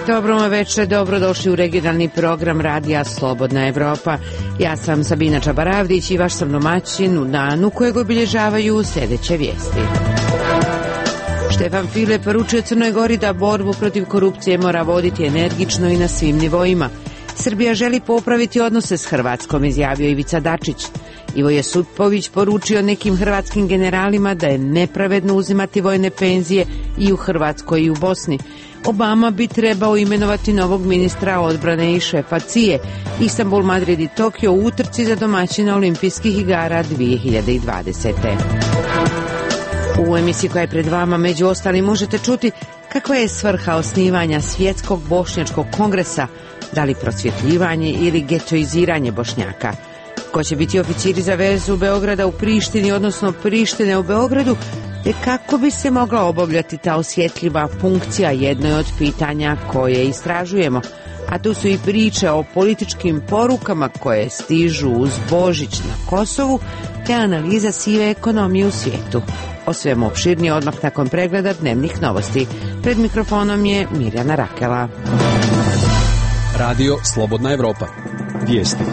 Dobro večer, dobrodošli u regionalni program Radija Slobodna Evropa. Ja sam Sabina Čabaravdić i vaš sam domaćin u danu kojeg obilježavaju sljedeće vijesti. Štefan File poručuje Crnoj Gori da borbu protiv korupcije mora voditi energično i na svim nivoima. Srbija želi popraviti odnose s Hrvatskom, izjavio Ivica Dačić. Ivo Josipović poručio nekim hrvatskim generalima da je nepravedno uzimati vojne penzije i u Hrvatskoj i u Bosni. Obama bi trebao imenovati novog ministra odbrane i šefa CIA. Istanbul, Madrid i Tokio u utrci za domaćina olimpijskih igara 2020. U emisiji koja je pred vama među ostalim možete čuti kakva je svrha osnivanja Svjetskog bošnjačkog kongresa, da li prosvjetljivanje ili getoiziranje Bošnjaka. Ko će biti oficiri za vezu Beograda u Prištini, odnosno Prištine u Beogradu, te kako bi se mogla obavljati ta osjetljiva funkcija, jedno je od pitanja koje istražujemo. A tu su i priče o političkim porukama koje stižu uz Božić na Kosovu, te analiza sive ekonomije u svijetu. O svemu opširnije odmah nakon pregleda dnevnih novosti. Pred mikrofonom je Mirjana Rakela. Radio Slobodna Evropa. Vijesti.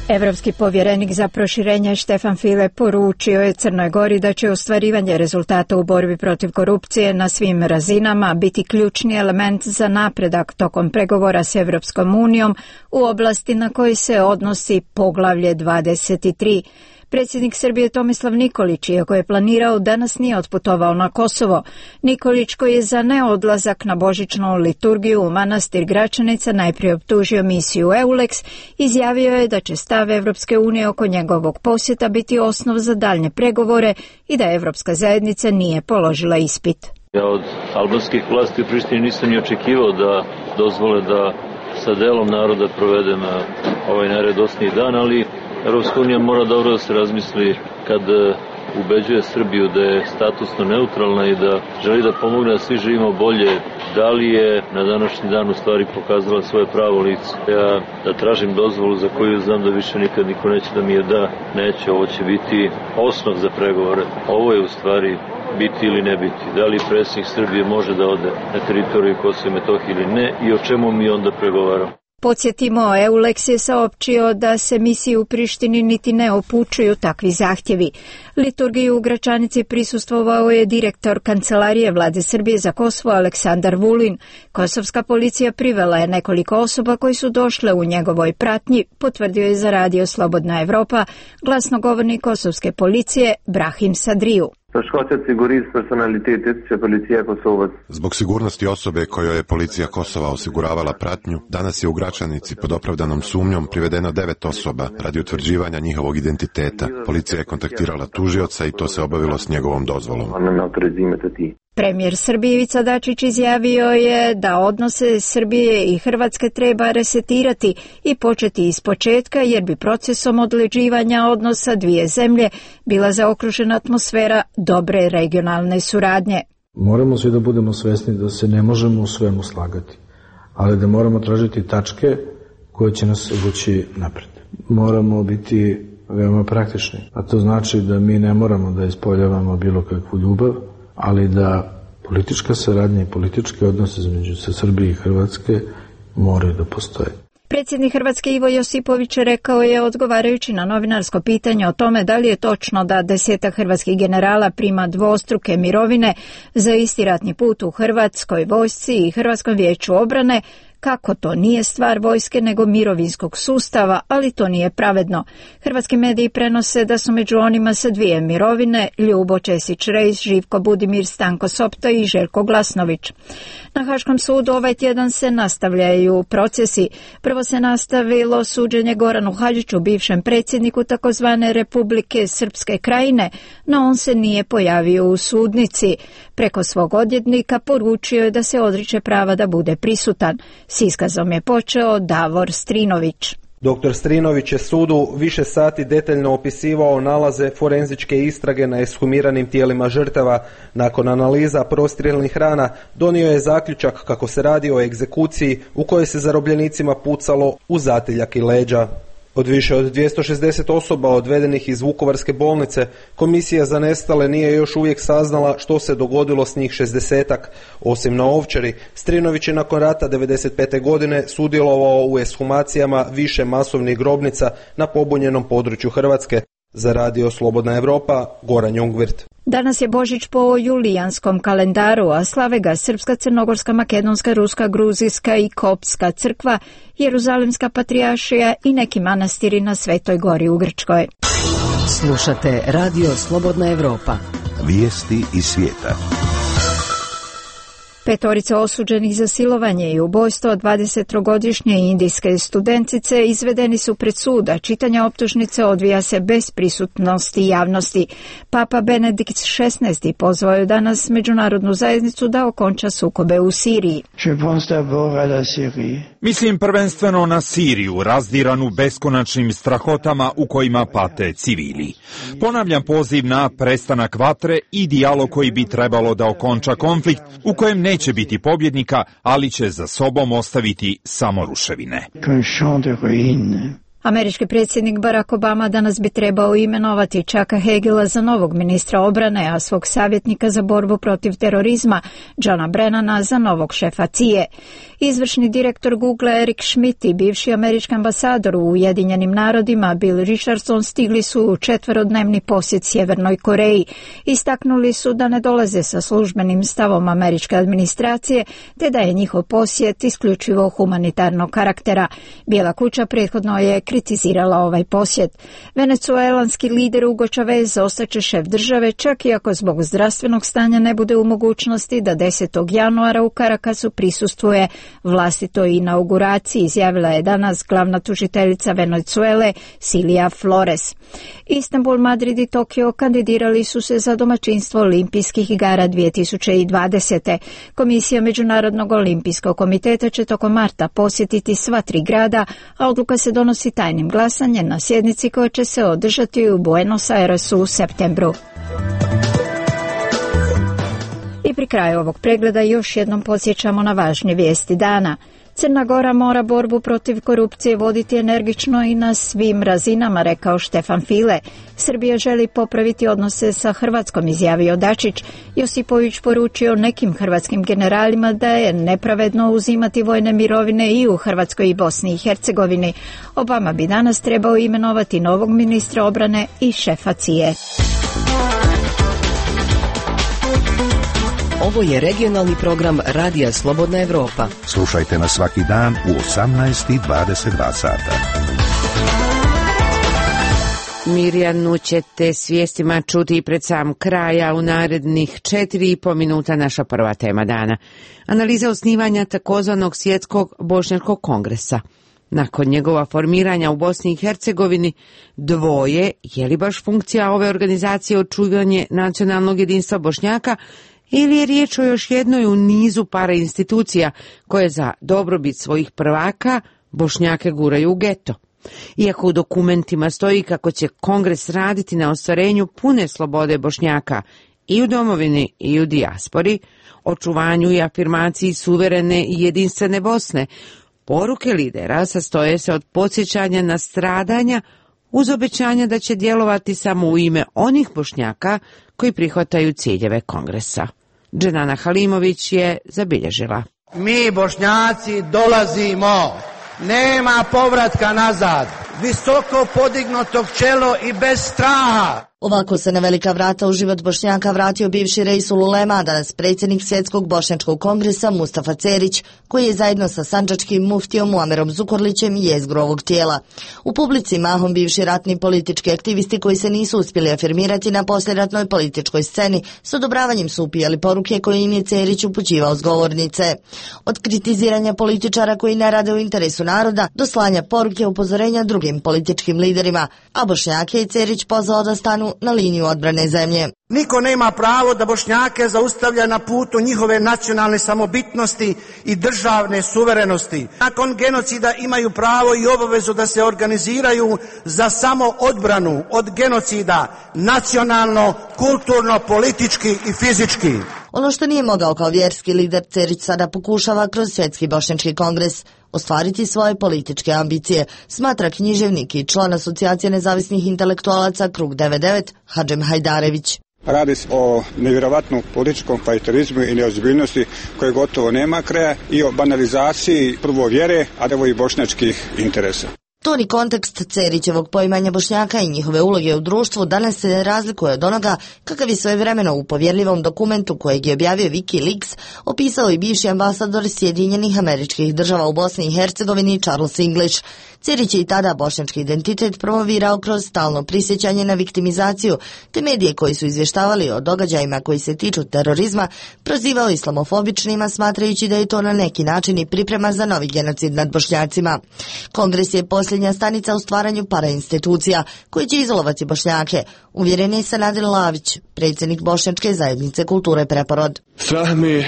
Evropski povjerenik za proširenje Štefan File poručio je Crnoj Gori da će ostvarivanje rezultata u borbi protiv korupcije na svim razinama biti ključni element za napredak tokom pregovora s Evropskom unijom u oblasti na koji se odnosi poglavlje 23. Predsjednik Srbije Tomislav Nikolić, iako je planirao, danas nije otputovao na Kosovo. Nikolić, koji je za neodlazak na božićnu liturgiju u manastir Gračanica najprije optužio misiju EULEX, izjavio je da će stav Evropske unije oko njegovog posjeta biti osnov za daljnje pregovore i da Evropska zajednica nije položila ispit. Ja od albanskih vlasti u Prištini nisam ni očekivao da dozvole da sa delom naroda provedem ovaj najradosniji dan, ali Evropska unija mora dobro da se razmisli kad ubeđuje Srbiju da je statusno neutralna i da želi da pomogne da svi živimo bolje. Da li je na današnji dan u stvari pokazala svoje pravo lice? Ja da tražim dozvolu za koju znam da više nikad niko neće da mi je da, neće. Ovo će biti osnov za pregovore. Ovo je u stvari biti ili ne biti. Da li predsjednik Srbije može da ode na teritoriju Kosova i Metohije ili ne i o čemu mi onda pregovaramo? Podsjetimo, EULEX je saopćio da se misiji u Prištini niti ne upućuju takvi zahtjevi. Liturgiju u Gračanici prisustvovao je direktor Kancelarije Vlade Srbije za Kosovo Aleksandar Vulin. Kosovska policija privela je nekoliko osoba koji su došle u njegovoj pratnji, potvrdio je za Radio Slobodna Evropa glasnogovornik kosovske policije Brahim Sadriju. Zbog sigurnosti osobe kojoj je policija Kosova osiguravala pratnju, danas je u Gračanici pod opravdanom sumnjom privedeno 9 osoba radi utvrđivanja njihovog identiteta. Policija je kontaktirala tužioca i to se obavilo s njegovom dozvolom. Premijer Srbije Ivica Dačić izjavio je da odnose Srbije i Hrvatske treba resetirati i početi ispočetka, jer bi procesom odleđivanja odnosa dvije zemlje bila zaokružena atmosfera dobre regionalne suradnje. Moramo svi da budemo svesni da se ne možemo u svemu slagati, ali da moramo tražiti tačke koje će nas vući napred. Moramo biti veoma praktični, a to znači da mi ne moramo da ispoljavamo bilo kakvu ljubav, ali da politička saradnja i politički odnose između Srbije i Hrvatske moraju da postoje. Predsjednik Hrvatske Ivo Josipović rekao je, odgovarajući na novinarsko pitanje o tome da li je točno da 10 hrvatskih generala prima dvostruke mirovine za isti ratni put u Hrvatskoj vojsci i Hrvatskom vijeću obrane, kako to nije stvar vojske nego mirovinskog sustava, ali to nije pravedno. Hrvatski mediji prenose da su među onima sa 2 mirovine Ljubo Česić-Rejs, Živko Budimir, Stanko Sopta i Željko Glasnović. Na Haškom sudu ovaj tjedan se nastavljaju procesi. Prvo se nastavilo suđenje Goranu Hadžiću, bivšem predsjedniku takozvane Republike Srpske Krajine, no on se nije pojavio u sudnici. Preko svog odvjetnika poručio je da se odriče prava da bude prisutan. S iskazom je počeo Davor Strinović. Dr. Strinović je sudu više sati detaljno opisivao nalaze forenzičke istrage na ekshumiranim tijelima žrtava. Nakon analiza prostrijelnih rana donio je zaključak kako se radi o egzekuciji u kojoj se zarobljenicima pucalo u zatiljak i leđa. Od više od 260 osoba odvedenih iz Vukovarske bolnice, Komisija za nestale nije još uvijek saznala što se dogodilo s njih 60-ak. Osim na Ovčari, Strinović je nakon rata 1995. godine sudjelovao u ekshumacijama više masovnih grobnica na pobunjenom području Hrvatske. Za Radio Slobodna Evropa, Goran Jungwirth. Danas je Božić po julijanskom kalendaru, a slave ga Srpska, Crnogorska, Makedonska, Ruska, Gruzijska i Koptska crkva, Jeruzalemska patrijaršija i neki manastiri na Svetoj gori u Grčkoj. Slušate Radio Slobodna Evropa. Vijesti iz svijeta. 5 osuđenih za silovanje i ubojstvo 23-godišnje indijske studentice izvedeni su pred sud, a čitanje optužnice odvija se bez prisutnosti javnosti. Papa Benedikt XVI pozvao je danas međunarodnu zajednicu da okonča sukobe u Siriji. Mislim prvenstveno na Siriju, razdiranu beskonačnim strahotama u kojima pate civili. Ponavljam poziv na prestanak vatre i dijalog koji bi trebalo da okonča konflikt u kojem neće biti pobjednika, ali će za sobom ostaviti samo ruševine. Američki predsjednik Barack Obama danas bi trebao imenovati Chucka Hagela za novog ministra obrane, a svog savjetnika za borbu protiv terorizma, Johna Brennana, za novog šefa CIA. Izvršni direktor Google Eric Schmidt i bivši američki ambasador u Ujedinjenim narodima Bill Richardson stigli su u 4-dnevni posjet Sjevernoj Koreji. Istaknuli su da ne dolaze sa službenim stavom američke administracije, te da je njihov posjet isključivo humanitarnog karaktera. Bijela kuća prethodno je kritizirala ovaj posjet. Venecuelanski lider Hugo Chavez ostaće šef države, čak i ako zbog zdravstvenog stanja ne bude u mogućnosti da 10. januara u Carakasu prisustvuje vlastitoj inauguraciji, izjavila je danas glavna tužiteljica Venecuele Silvia Flores. Istanbul, Madrid i Tokio kandidirali su se za domaćinstvo Olimpijskih igara 2020. Komisija Međunarodnog olimpijskog komiteta će tokom marta posjetiti sva 3 grada, a odluka se donosi tajnim glasanjem na sjednici koja će se održati u Buenos Airesu u septembru. I pri kraju ovog pregleda još jednom podsjećamo na važnije vijesti dana. Crna Gora mora borbu protiv korupcije voditi energično i na svim razinama, rekao Štefan File. Srbija želi popraviti odnose sa Hrvatskom, izjavio Dačić. Josipović poručio nekim hrvatskim generalima da je nepravedno uzimati vojne mirovine i u Hrvatskoj i Bosni i Hercegovini. Obama bi danas trebao imenovati novog ministra obrane i šefa CIA. Ovo je regionalni program Radija Slobodna Evropa. Slušajte nas svaki dan u 18:22 sata. Mirjanu ćete s vijestima čuti i pred sam kraja u narednih 4,5 minuta naša prva tema dana. Analiza osnivanja takozvanog svjetskog bošnjačkog kongresa. Nakon njegova formiranja u Bosni i Hercegovini dvoje, je li baš funkcija ove organizacije očuvanje nacionalnog jedinstva Bošnjaka ili je riječ o još jednoj u nizu parainstitucija koje za dobrobit svojih prvaka Bošnjake guraju u geto. Iako u dokumentima stoji kako će kongres raditi na ostvarenju pune slobode Bošnjaka i u domovini i u dijaspori, očuvanju i afirmaciji suverene i jedinstvene Bosne, poruke lidera sastoje se od podsjećanja na stradanja uz obećanja da će djelovati samo u ime onih Bošnjaka koji prihvataju ciljeve kongresa. Dženana Halimović je zabilježila. Mi Bošnjaci dolazimo, nema povratka nazad, visoko podignuto čelo i bez straha. Ovako se na velika vrata u život Bošnjaka vratio bivši Reisul Ulema, danas predsjednik Svjetskog bošnjačkog kongresa Mustafa Cerić, koji je zajedno sa sandžačkim muftijom Muamerom Zukorlićem jezgro ovog tijela. U publici mahom bivši ratni politički aktivisti koji se nisu uspjeli afirmirati na posljeratnoj političkoj sceni, s odobravanjem su upijali poruke koje im je Cerić upućivao s govornice. Od kritiziranja političara koji ne rade u interesu naroda do slanja poruke upozorenja drugim političkim liderima, a Bošnjake je Cerić pozvao da stanu na liniju odbrane zemlje. Niko nema pravo da Bošnjake zaustavlja na putu njihove nacionalne samobitnosti i državne suverenosti. Nakon genocida imaju pravo i obavezu da se organiziraju za samoodbranu od genocida nacionalno, kulturno, politički i fizički. Ono što nije mogao kao vjerski lider, Cerić sada pokušava kroz Svjetski bošnjački kongres. ostvariti svoje političke ambicije, smatra književnik i član Asocijacije nezavisnih intelektualaca Krug 99 Hadžem Hajdarević. Radi se o nevjerovatnom političkom fajterizmu i neozbiljnosti koje gotovo nema kraja i o banalizaciji prvo vjere, a evo i bošnjačkih interesa. Toni kontekst Cerićevog poimanja Bošnjaka i njihove uloge u društvu danas se razlikuje od onoga kakav je svojevremeno u povjerljivom dokumentu kojeg je objavio WikiLeaks opisao i bivši ambasador Sjedinjenih Američkih Država u Bosni i Hercegovini Charles English. Cerić je i tada bošnjački identitet promovirao kroz stalno prisjećanje na viktimizaciju, te medije koji su izvještavali o događajima koji se tiču terorizma prozivao islamofobičnima, smatrajući da je to na neki način i priprema za novi genocid nad Bošnjacima. Kongres je posljednja stanica u stvaranju parainstitucija koji će izolovati Bošnjake, uvjeren je Sanader Lavić, predsjednik Bošnjačke zajednice kulture Preporod. Strah me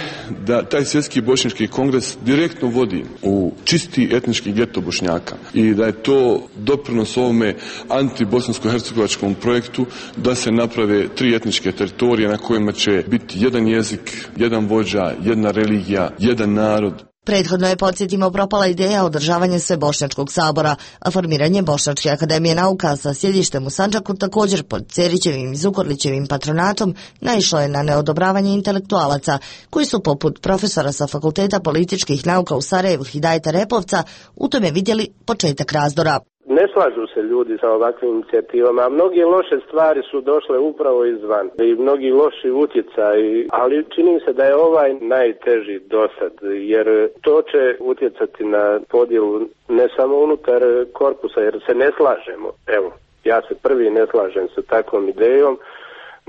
da taj svjetski bošnjački kongres direktno vodi u čisti etnički geto Bošnjaka i da je to doprinos ovome antibosansko-hercegovačkom projektu da se naprave 3 etničke teritorije na kojima će biti jedan jezik, jedan vođa, jedna religija, jedan narod. Prethodno je, podsjetimo, propala ideja održavanja Svebošnjačkog sabora, a formiranje Bošnjačke akademije nauka sa sjedištem u Sandžaku također pod Cerićevim i Zukorlićevim patronatom naišlo je na neodobravanje intelektualaca, koji su poput profesora sa Fakulteta političkih nauka u Sarajevu Hidajeta Repovca u tome vidjeli početak razdora. Ne slažu se ljudi sa ovakvim inicijativama, a mnoge loše stvari su došle upravo izvan i mnogi loši utjecaji, ali čini se da je ovaj najteži dosad, jer to će utjecati na podjelu ne samo unutar korpusa, jer se ne slažemo. Evo, ja se prvi ne slažem sa takvom idejom,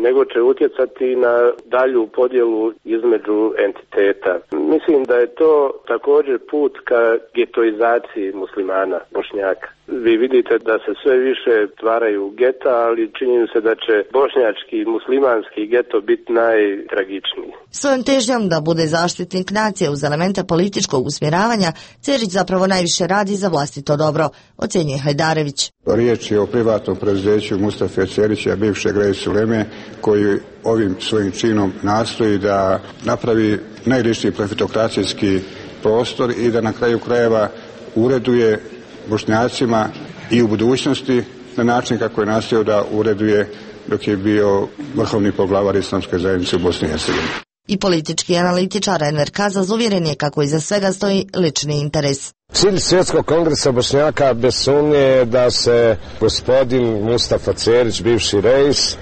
nego će utjecati na dalju podjelu između entiteta. Mislim da je to također put ka getoizaciji muslimana, Bošnjaka. Vi vidite da se sve više stvaraju geta, ali čini se da će bošnjački muslimanski geto biti najtragičniji. Svojom težnjom da bude zaštitnik nacije uz elemente političkog usmjeravanja, Cerić zapravo najviše radi za vlastito dobro, ocjenjuje Hajdarević. Riječ je o privatnom preduzeću Mustafe Cerića, bivšeg Reis Uleme, koji ovim svojim činom nastoji da napravi najličniji profitokracijski prostor i da na kraju krajeva ureduje Bošnjacima i u budućnosti na način kako je nastojao da ureduje dok je bio vrhovni poglavar Islamske zajednice u Bosni i Hercegovini. I politički analitičar Enver Kazaz uvjeren je kako iza svega stoji lični interes. Cilj Svjetskog kongresa Bošnjaka bez sumnje je da se gospodin Mustafa Cerić, bivši reis,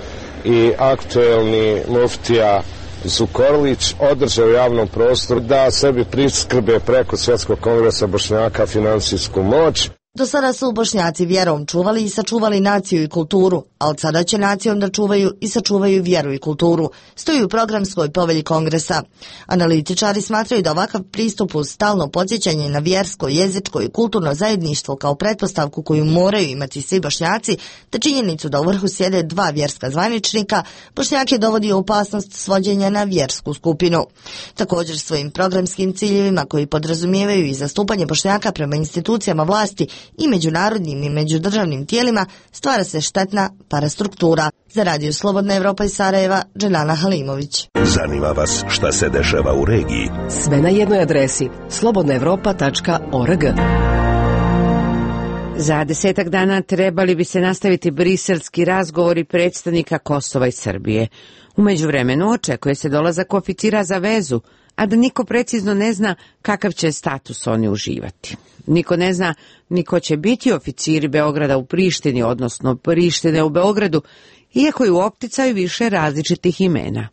i aktuelni muftija Zukorlić održe u javnom prostoru da sebi priskrbe preko Svjetskog kongresa Bošnjaka financijsku moć. Do sada su Bošnjaci vjerom čuvali i sačuvali naciju i kulturu, a od sada će nacijom da čuvaju i sačuvaju vjeru i kulturu, stoji u programskoj povelji kongresa. Analitičari smatraju da ovakav pristup uz stalno podsjećanje na vjersko, jezičko i kulturno zajedništvo kao pretpostavku koju moraju imati svi Bošnjaci, te činjenicu da u vrhu sjede 2 vjerska zvaničnika, Bošnjake dovodi u opasnost svođenja na vjersku skupinu. Također svojim programskim ciljevima koji podrazumijevaju i zastupanje Bošnjaka prema institucijama vlasti i međunarodnim i međudržavnim tijelima stvara se štetna parastruktura. Za Radio Slobodna Evropa iz Sarajeva, Dženana Halimović. Zanima vas šta se dešava u regiji? Sve na jednoj adresi slobodnaevropa.org. Za 10 dana trebali bi se nastaviti briselski razgovori predstavnika Kosova i Srbije. U međuvremenu očekuje se dolazak oficira za vezu, a da niko precizno ne zna kakav će status oni uživati. Niko ne zna ni ko će biti oficiri Beograda u Prištini, odnosno Prištine u Beogradu, iako je u opticaju više različitih imena.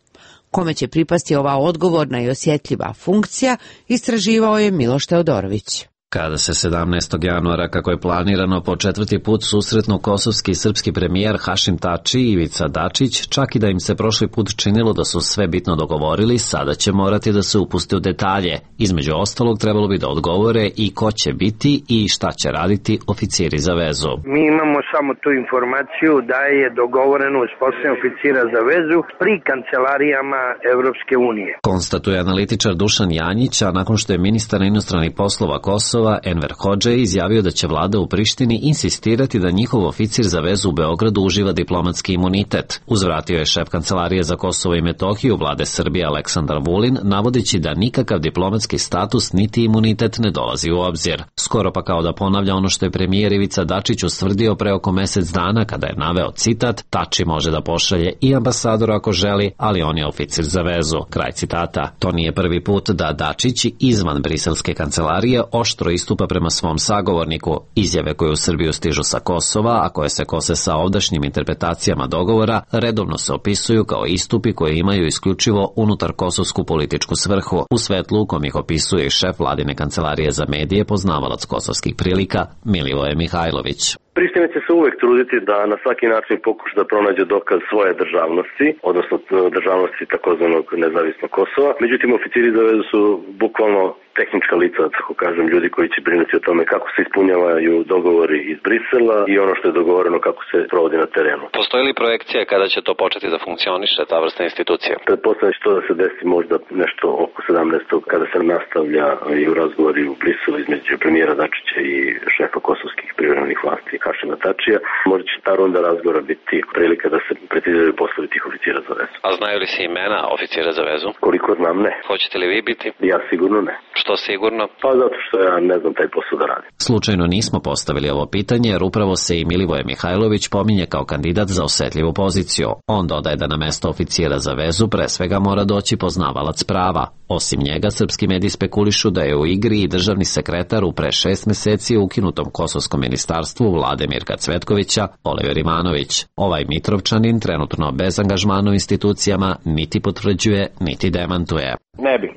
Kome će pripasti ova odgovorna i osjetljiva funkcija, istraživao je Miloš Teodorović. Kada se 17. januara, kako je planirano, po 4. put susretnu kosovski i srpski premijer Hašim Tači i Ivica Dačić, čak i da im se prošli put činilo da su sve bitno dogovorili, sada će morati da se upuste u detalje. Između ostalog, trebalo bi da odgovore i ko će biti i šta će raditi oficiri za vezu. Mi imamo samo tu informaciju da je dogovoreno uspostavljanje oficira za vezu pri kancelarijama Evropske unije. Konstatuje analitičar Dušan Janjić, a nakon što je ministar inostranih poslova Kosova Kosova Enver Hodža izjavio da će vlada u Prištini insistirati da njihov oficir za vezu u Beogradu uživa diplomatski imunitet. Uzvratio je šef Kancelarije za Kosovo i Metohiju vlade Srbije Aleksandar Vulin, navodeći da nikakav diplomatski status niti imunitet ne dolazi u obzir. Skoro pa kao da ponavlja ono što je premijer Ivica Dačić ustvrdio pre oko mesec dana kada je naveo citat: Tači može da pošalje i ambasadora ako želi, ali on je oficir za vezu. Kraj citata. To nije prvi put da Dačić izvan briselske kancelarije oštro istupa prema svom sagovorniku. Izjave koje u Srbiju stižu sa Kosova, a koje se kose sa ovdašnjim interpretacijama dogovora, redovno se opisuju kao istupi koje imaju isključivo unutar kosovsku političku svrhu. U svetlu u kom ih opisuje i šef vladine kancelarije za medije, poznavalac kosovskih prilika Milivoje Mihajlović. Priština će se uvek truditi da na svaki način pokuša da pronađe dokaz svoje državnosti, odnosno državnosti takozvanog nezavisnog Kosova. Međutim, oficiri za vezu su bukvalno tehnička lica, tako kažem, ljudi koji će brinuti o tome kako se ispunjavaju dogovori iz Brisela i ono što je dogovoreno kako se provodi na terenu. Postoji li projekcija kada će to početi da funkcioniše, ta vrsta institucija? Pretpostavljam što da se desi možda nešto oko 17. kada se nastavlja i u razgovori u Briselu između premijera Dačića i šefa kosovskih privremenih vlasti Hašima Tačija. Možda će ta runda razgovora biti prilika da se preciziraju poslovi tih oficira za vezu. A znaju li se imena oficira za vezu? Koliko znam, ne. Hoćete li vi biti? Ja sigurno ne. Što sigurno? Pa zato što ja ne znam taj posao da radi. Slučajno nismo postavili ovo pitanje jer upravo se i Milivoje Mihajlović pominje kao kandidat za osetljivu poziciju. On dodaje da na mesto oficira za vezu pre svega mora doći poznavalac prava. Osim njega, srpski mediji spekulišu da je u igri i državni sekretar u pre 6 meseci ukinutom kosovskom ministarstvu vlade Mirka Cvetkovića, Oliver Ivanović. Ovaj Mitrovčanin trenutno bez angažmana u institucijama niti potvrđuje, niti demantuje.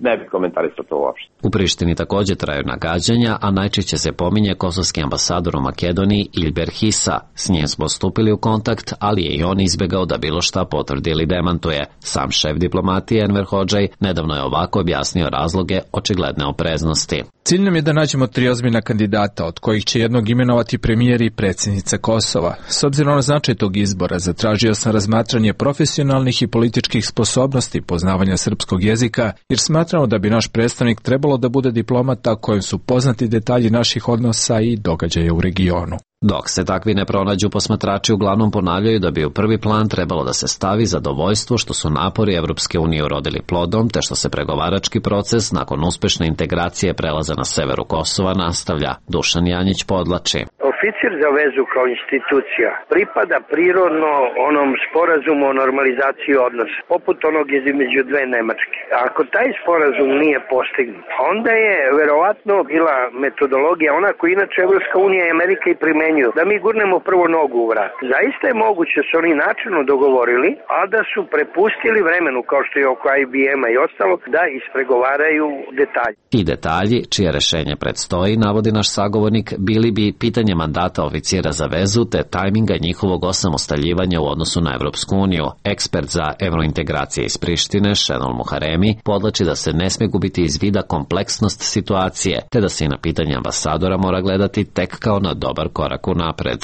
Ne bi komentarisao to uopšte. U Prištini također traju nagađanja, a najčešće se pominje kosovski ambasador u Makedoniji Ilber Hisa. S njim smo stupili u kontakt, ali je i on izbegao da bilo šta potvrdi ili demantuje. Sam šef diplomatije Enver Hodžaj nedavno je ovako objasnio razloge očigledne opreznosti. Cilj nam je da nađemo 3 ozbiljna kandidata, od kojih će jednog imenovati premijer i predsjednica Kosova. S obzirom na značaj tog izbora, zatražio sam razmatranje profesionalnih i političkih sposobnosti poznavanja srpskog jezika, jer smatramo da bi naš predstavnik trebalo da bude diplomata kojem su poznati detalji naših odnosa i događaja u regionu. Dok se takvi ne pronađu, posmatrači uglavnom ponavljaju da bi u prvi plan trebalo da se stavi zadovoljstvo što su napori Evropske unije urodili plodom, te što se pregovarački proces nakon uspešne integracije prelaza na severu Kosova nastavlja. Dušan Janjić podlači. Oficir za vezu kao institucija pripada prirodno onom sporazumu o normalizaciji odnosa, poput onog između dve Nemačke. Ako taj sporazum nije postignut, onda je verovatno bila metodologija ona koju inače Evropska unija i Amerika i primenjuju, da mi gurnemo prvo nogu u vrat. Zaista je moguće da su oni načelno dogovorili, a da su prepustili vremenu, kao što je oko IBM-a i ostalo, da ispregovaraju detalje. Ti detalji, čije rešenje predstoji, navodi naš sagovornik, bili bi pitanje mandata oficira za vezu te tajminga njihovog osamostaljivanja u odnosu na Evropsku uniju. Ekspert za evrointegracije iz Prištine, Šenol Muharemi, podlači da se ne sme gubiti iz vida kompleksnost situacije, te da se i na pitanje ambasadora mora gledati tek kao na dobar korak unapred.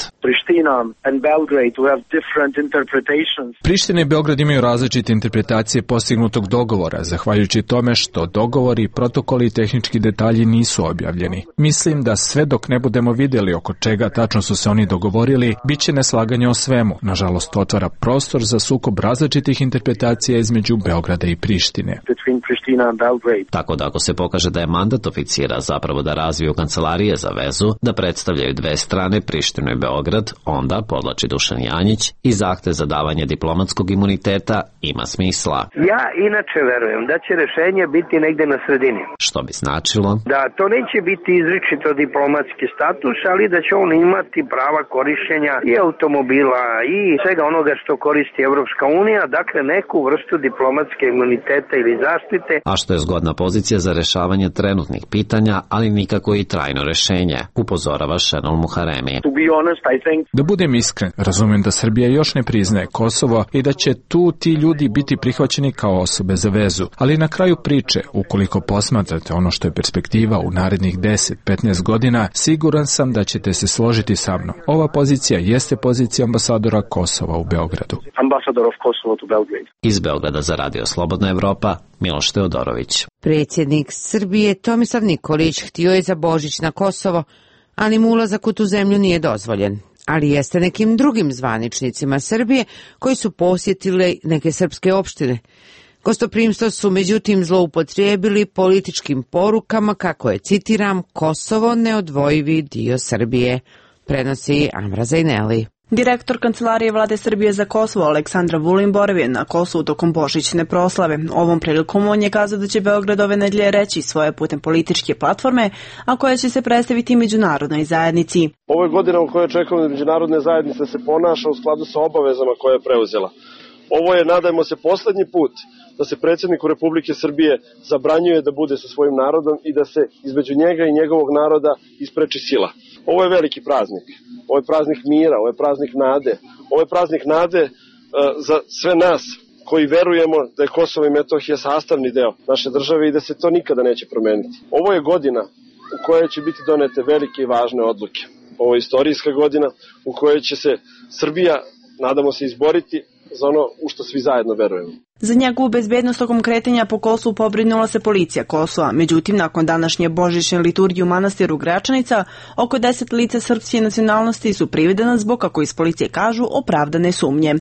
Priština i Beograd imaju različite interpretacije postignutog dogovora, zahvaljujući tome što dogovori, protokoli i tehnički detalji nisu objavljeni. Mislim da sve dok ne budemo vidjeli oko čega tačno su se oni dogovorili, bit će neslaganje o svemu. Nažalost, to otvara prostor za sukob različitih interpretacija između Beograda i Prištine. Tako da ako se pokaže da je mandat oficira zapravo da razviju kancelarije za vezu, da predstavljaju dve strane, Prištinu i Beograd, onda, podlači Dušan Janjić, i zahtev za davanje diplomatskog imuniteta ima smisla. Ja inače verujem da će rešenje biti negde na sredini. Što bi značilo? Da to neće biti izričito diplomatski status, ali da će on imati prava korišćenja i automobila i svega onoga što koristi Evropska unija, dakle neku vrstu diplomatske imuniteta ili zaštite. A što je zgodna pozicija za rešavanje trenutnih pitanja, ali nikako i trajno rešenje, upozorava Šenol Muharemi. Da budem iskren, razumem da Srbija još ne priznaje Kosovo i da će tu ti ljudi biti prihvaćeni kao osobe za vezu, ali na kraju priče, ukoliko posmatrate ono što je perspektiva u narednih 10-15 godina, siguran sam da ćete se složiti sa mnom. Ova pozicija jeste pozicija ambasadora Kosova u Beogradu. Iz Beograda za Radio Slobodna Evropa, Miloš Teodorović. Predsjednik Srbije Tomislav Nikolić htio je za Božić na Kosovo, ali mu ulazak u tu zemlju nije dozvoljen. Ali jeste nekim drugim zvaničnicima Srbije koji su posjetili neke srpske opštine. Gostoprimstvo su međutim zloupotrijebili političkim porukama kako je, citiram, Kosovo neodvojivi dio Srbije, prenosi Amra Zajneli. Direktor Kancelarije Vlade Srbije za Kosovo Aleksandar Vulin boravio na Kosovu tokom božićne proslave. Ovom prilikom on je kazao da će Beograd ove nedelje reći svoje putem političke platforme, a koja će se predstaviti međunarodnoj zajednici. Ovo je godina u kojoj očekujemo da međunarodne zajednice se ponaša u skladu sa obavezama koje je preuzela. Ovo je, nadajmo se, poslednji put da se predsjedniku Republike Srbije zabranjuje da bude sa svojim narodom i da se između njega i njegovog naroda ispreči sila. Ovo je veliki praznik. Ovo je praznik mira, ovo je praznik nade. Ovo je praznik nade za sve nas koji verujemo da je Kosovo i Metohija sastavni deo naše države i da se to nikada neće promeniti. Ovo je godina u kojoj će biti donete velike i važne odluke. Ovo je istorijska godina u kojoj će se Srbija, nadamo se, izboriti za ono u što svi zajedno verujemo. Za njegovu bezbednost tokom kretanja po Kosovu pobrinula se policija Kosova. Međutim, nakon današnje božićne liturgije u manastiru Gračanica, oko 10 lica srpske nacionalnosti su privedena zbog, kako iz policije kažu, opravdane sumnje.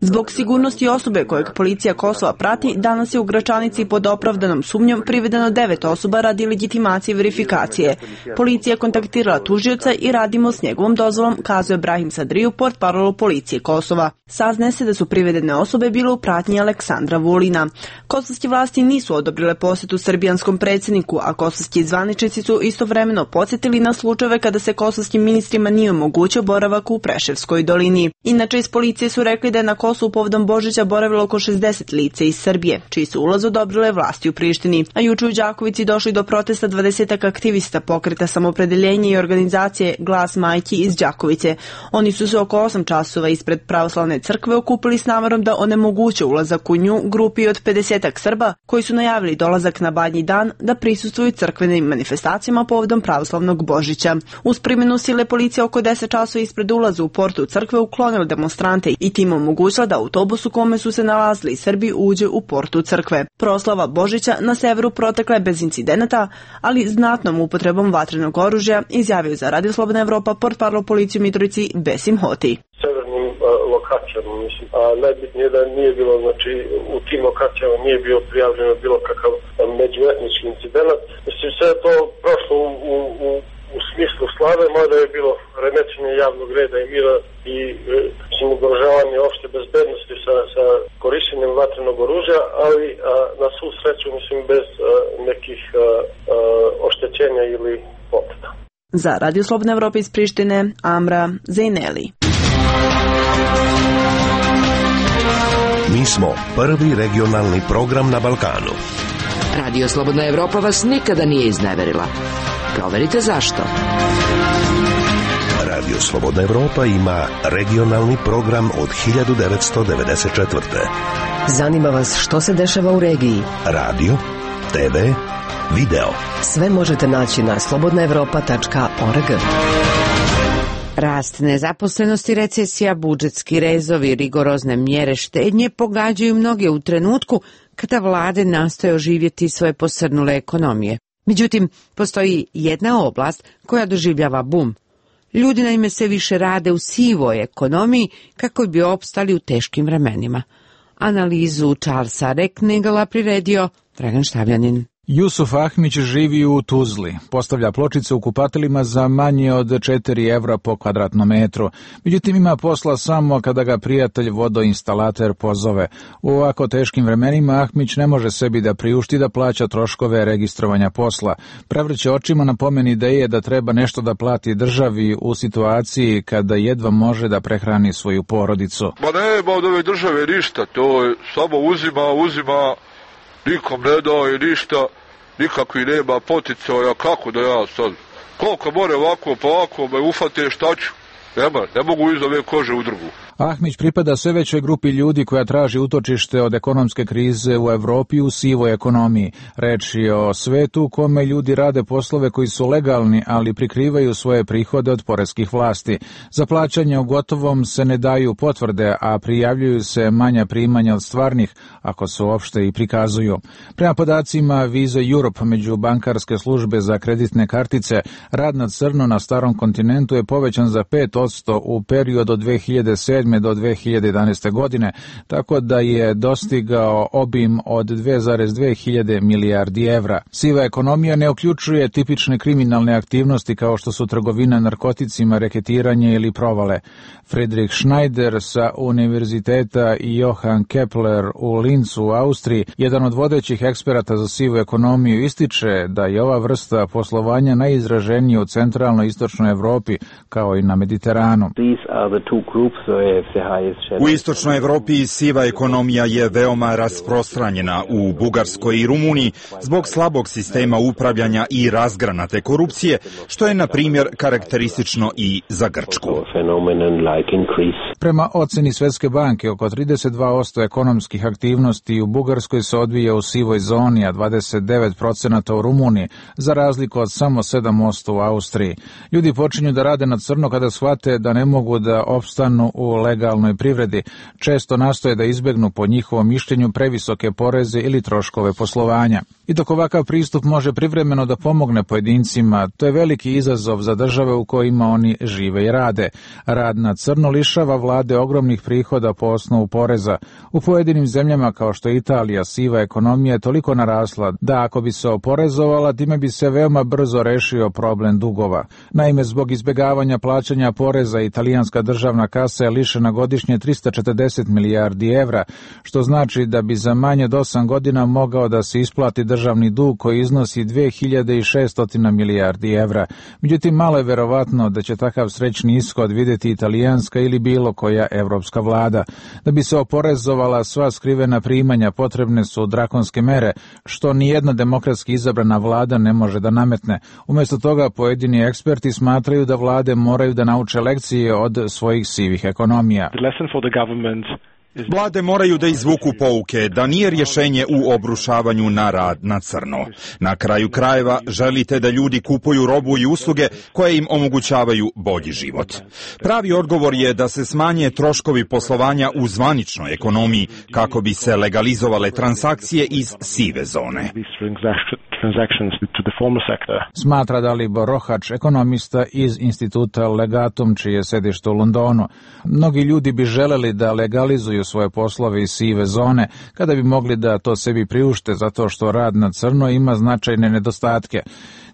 Zbog sigurnosti osobe kojeg policija Kosova prati, danas je u Gračanici pod opravdanom sumnjom privedeno 9 osoba radi legitimacije i verifikacije. Policija je kontaktirala tužioca i radimo s njegovom dozvolom, kazuje Brahim Sadriju, portparol policije Kosova. Saznaje se da su privedene osobe bile u pratnji Aleksandra Vulina. Kosovske vlasti nisu odobrile posjetu srbijanskom predsjedniku, a kosovski zvaničnici su istovremeno podsjetili na slučajeve kada se kosovskim ministrima nije omogućio boravak u Preševskoj dolini. Inače, iz policije su rekli da je na Kosovu povodom Božića boravilo oko 60 lica iz Srbije, čiji su ulaz odobrile vlasti u Prištini. A juče u Đakovici došli do protesta 20 aktivista pokreta Samopredeljenje i organizacije Glas majki iz Đakovice. Oni su se oko 8 časova ispred pravoslavne crkve okupili s namarom da onemoguće ulazak u nju grupi od 50 Srba koji su najavili dolazak na Badnji dan da prisustvuju crkvenim manifestacijama povodom pravoslavnog Božića. Uz primjenu sile policija oko 10 časova ispred ulaza u portu crkve uklonila demonstrante i tim omogućila da autobus u kome su se nalazili Srbi uđe u portu crkve. Proslava Božića na severu protekla je bez incidenata, ali znatnom upotrebom vatrenog oružja, izjavio za Radio Slobodna Evropa portparol policije u Mitrovici Besim Hoti. Severnim lokacijama, mislim, a najbitnije da nije bilo, znači u tim lokacijama nije bio prijavljeno bilo kakav međuetnički incident. Mislim, sve to prošlo u smislu slave, mada je bilo remećenje javnog reda i mira i ugrožavanje opšte bezbednosti sa korišćenjem vatrenog oružja, ali na svu sreću, mislim, bez nekih oštećenja ili povreda. Za Radio Slobodna Evropa iz Prištine, Amra Zajneli. Mi smo prvi regionalni program na Balkanu. Radio Slobodna Evropa vas nikada nije izneverila. Proverite zašto. Radio Slobodna Evropa ima regionalni program od 1994. Zanima vas što se dešava u regiji? Radio, TV, video. Sve možete naći na slobodnaevropa.org. Rast nezaposlenosti, recesija, budžetski rezovi, rigorozne mjere štednje pogađaju mnoge u trenutku kada vlade nastoje oživjeti svoje posrnule ekonomije. Međutim, postoji jedna oblast koja doživljava bum. Ljudi naime sve više rade u sivoj ekonomiji kako bi opstali u teškim vremenima. Analizu Charlesa Reknegala priredio Dragan Štavljanin. Jusuf Ahmić živi u Tuzli. Postavlja pločice u kupateljima za manje od 4 evra po kvadratnom metru. Međutim, ima posla samo kada ga prijatelj vodoinstalater pozove. U ovako teškim vremenima Ahmić ne može sebi da priušti da plaća troškove registrovanja posla. Prevrće očima na pomen ideje da treba nešto da plati državi u situaciji kada jedva može da prehrani svoju porodicu. Ma nema od ove države ništa, to je samo uzima, nikom ne daje ništa, nikakvi nema poticaja, kako da ja sad, koliko more ovako pa ovako me ufate šta ću, Ne mogu iz ove kože u drugu. Ahmić pripada sve većoj grupi ljudi koja traži utočište od ekonomske krize u Evropi u sivoj ekonomiji. Reč je o svetu u kome ljudi rade poslove koji su legalni, ali prikrivaju svoje prihode od poreskih vlasti. Za plaćanje u gotovom se ne daju potvrde, a prijavljuju se manja primanja od stvarnih, ako se uopšte i prikazuju. Prema podacima Visa Europe, među bankarske službe za kreditne kartice, rad na crno na starom kontinentu je povećan za 5% u periodu od 2007. do 2011. godine, tako da je dostigao obim od 2,2 hiljade milijardi evra. Siva ekonomija ne uključuje tipične kriminalne aktivnosti kao što su trgovina narkoticima, reketiranje ili provale. Friedrich Schneider sa Univerziteta Johann Kepler u Linzu u Austriji, jedan od vodećih eksperata za sivu ekonomiju, ističe da je ova vrsta poslovanja najizraženija u centralnoj i istočnoj Evropi, kao i na Mediteranu. U istočnoj Evropi siva ekonomija je veoma rasprostranjena. U Bugarskoj i Rumuniji zbog slabog sistema upravljanja i razgranate korupcije, što je, na primjer, karakteristično i za Grčku. Prema oceni Svetske banke, oko 32% ekonomskih aktivnosti u Bugarskoj se odvija u sivoj zoni, a 29% u Rumuniji, za razliku od samo 7% u Austriji. Ljudi počinju da rade na crno kada shvate da ne mogu da opstanu u legalnoj privredi. Često nastoje da izbegnu, po njihovom mišljenju, previsoke poreze ili troškove poslovanja. I dok ovakav pristup može privremeno da pomogne pojedincima, to je veliki izazov za države u kojima oni žive i rade. Rad na crno lišava vlade ogromnih prihoda po osnovu poreza. U pojedinim zemljama kao što je Italija, siva ekonomija je toliko narasla da ako bi se oporezovala, time bi se veoma brzo rešio problem dugova. Naime, zbog izbegavanja plaćanja poreza, italijanska državna kasa je lišena godišnje 340 milijardi evra, što znači da bi za manje od 8 godina mogao da se isplati državni dug koji iznosi 2600 milijardi evra. Međutim, malo je verovatno da će takav srećni ishod vidjeti italijanska ili bilo koja evropska vlada. Da bi se oporezovala sva skrivena primanja, potrebne su drakonske mere, što nijedna demokratski izabrana vlada ne može da nametne. Umjesto toga, pojedini eksperti smatraju da vlade moraju da nauče lekcije od svojih sivih ekonomija. Vlade moraju da izvuku pouke da nije rješenje u obrušavanju na rad na crno. Na kraju krajeva želite da ljudi kupuju robu i usluge koje im omogućavaju bolji život. Pravi odgovor je da se smanje troškovi poslovanja u zvaničnoj ekonomiji kako bi se legalizovale transakcije iz sive zone. Smatra Dalibor Rohač, ekonomista iz instituta Legatum, čije je sedište u Londonu. Mnogi ljudi bi želeli da legalizuju svoje poslove iz sive zone kada bi mogli da to sebi priušte, zato što rad na crno ima značajne nedostatke.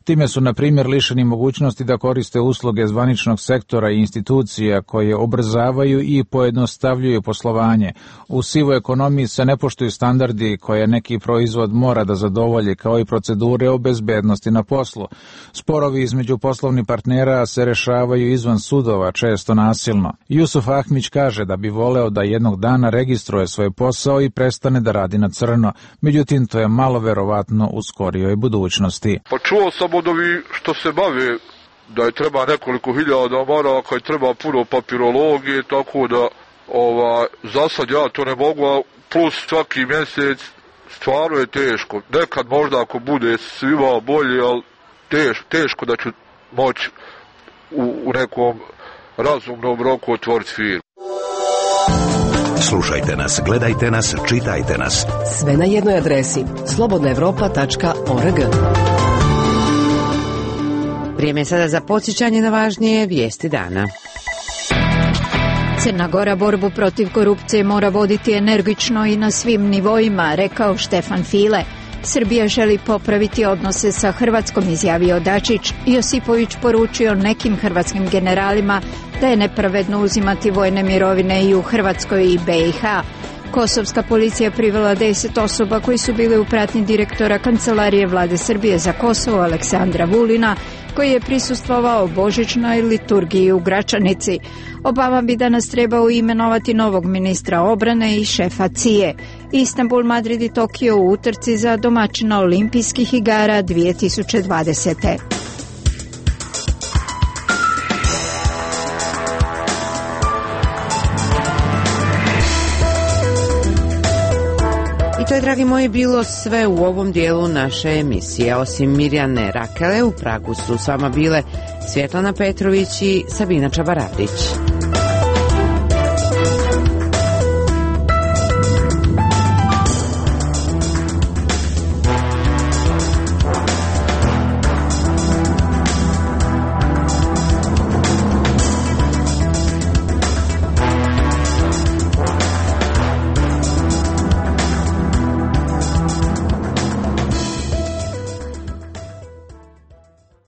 Time su, na primjer, lišeni mogućnosti da koriste usluge zvaničnog sektora i institucija koje ubrzavaju i pojednostavljuju poslovanje. U sivoj ekonomiji se ne poštuju standardi koje neki proizvod mora da zadovolji, kao i procedure o bezbednosti na poslu. Sporovi između poslovnih partnera se rešavaju izvan sudova, često nasilno. Jusuf Ahmić kaže da bi voleo da jednog dana registruje svoj posao i prestane da radi na crno. Međutim, to je malo verovatno u skorijoj budućnosti. Pa čuo sam od ovi što se bave da je treba nekoliko hiljada maraka i treba puno papirologije, tako da za sad ja to ne mogu, a plus svaki mjesec stvarno je teško. Nekad možda ako bude svima bolje, ali teško da ću moći u nekom razumnom roku otvoriti firmu. Slušajte nas, gledajte nas, čitajte nas. Sve na jednoj adresi slobodnaevropa.org. Vrijeme je sada za podsjećanje na važnije vijesti dana. Crna Gora borbu protiv korupcije mora voditi energično i na svim nivoima, rekao Štefan File. Srbija želi popraviti odnose sa Hrvatskom, izjavio Dačić. Josipović poručio nekim hrvatskim generalima da je nepravedno uzimati vojne mirovine i u Hrvatskoj i BiH. Kosovska policija privela 10 osoba koji su bili u pratnji direktora Kancelarije Vlade Srbije za Kosovo Aleksandra Vulina, koji je prisustvovao božićnoj liturgiji u Gračanici. Obama bi danas trebao imenovati novog ministra obrane i šefa CIA. Istanbul, Madrid i Tokio u utrci za domaćina Olimpijskih igara 2020. I to je, dragi moji, bilo sve u ovom dijelu naše emisije. Osim Mirjane Rakele, u Pragu su s vama bile Svjetlana Petrović i Sabina Čabaravdić.